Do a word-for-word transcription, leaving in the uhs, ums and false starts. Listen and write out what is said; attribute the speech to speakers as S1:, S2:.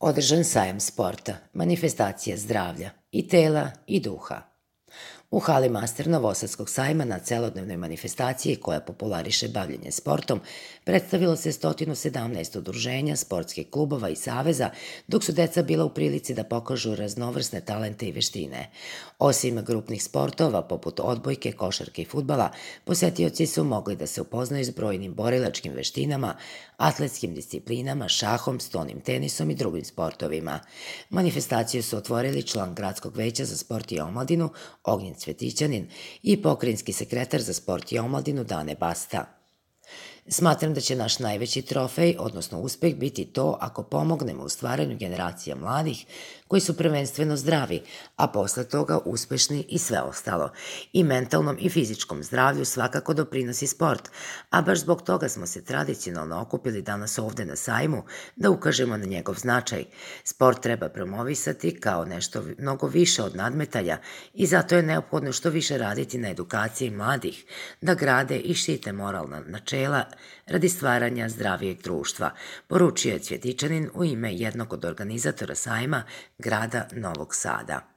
S1: Održan sajam sporta, manifestacija zdravlja i tela i duha. U hali Master Novosadskog sajma na celodnevnoj manifestaciji koja populariše bavljenje sportom predstavilo se sto sedamnaest udruženja, sportskih klubova i saveza, dok su deca bila u prilici da pokažu raznovrsne talente i veštine. Osim grupnih sportova poput odbojke, košarke i fudbala, posetioci su mogli da se upoznaju s brojnim borilačkim veštinama, atletskim disciplinama, šahom, stonim tenisom i drugim sportovima. Manifestaciju su otvorili član Gradskog veća za sport i omladinu Ognjen Cvetićanin i pokrajinski sekretar za sport i omladinu Dane Basta. Smatram da će naš najveći trofej, odnosno uspeh, biti to ako pomognemo u stvaranju generacija mladih koji su prvenstveno zdravi, a posle toga uspešni i sve ostalo. I mentalnom i fizičkom zdravlju svakako doprinosi sport, a baš zbog toga smo se tradicionalno okupili danas ovde na sajmu da ukažemo na njegov značaj. Sport treba promovisati kao nešto mnogo više od nadmetanja i zato je neophodno što više raditi na edukaciji mladih, da grade i štite moralna načela radi stvaranja zdravijeg društva, poručio je Cvjetićanin u ime jednog od organizatora sajma grada Novog Sada.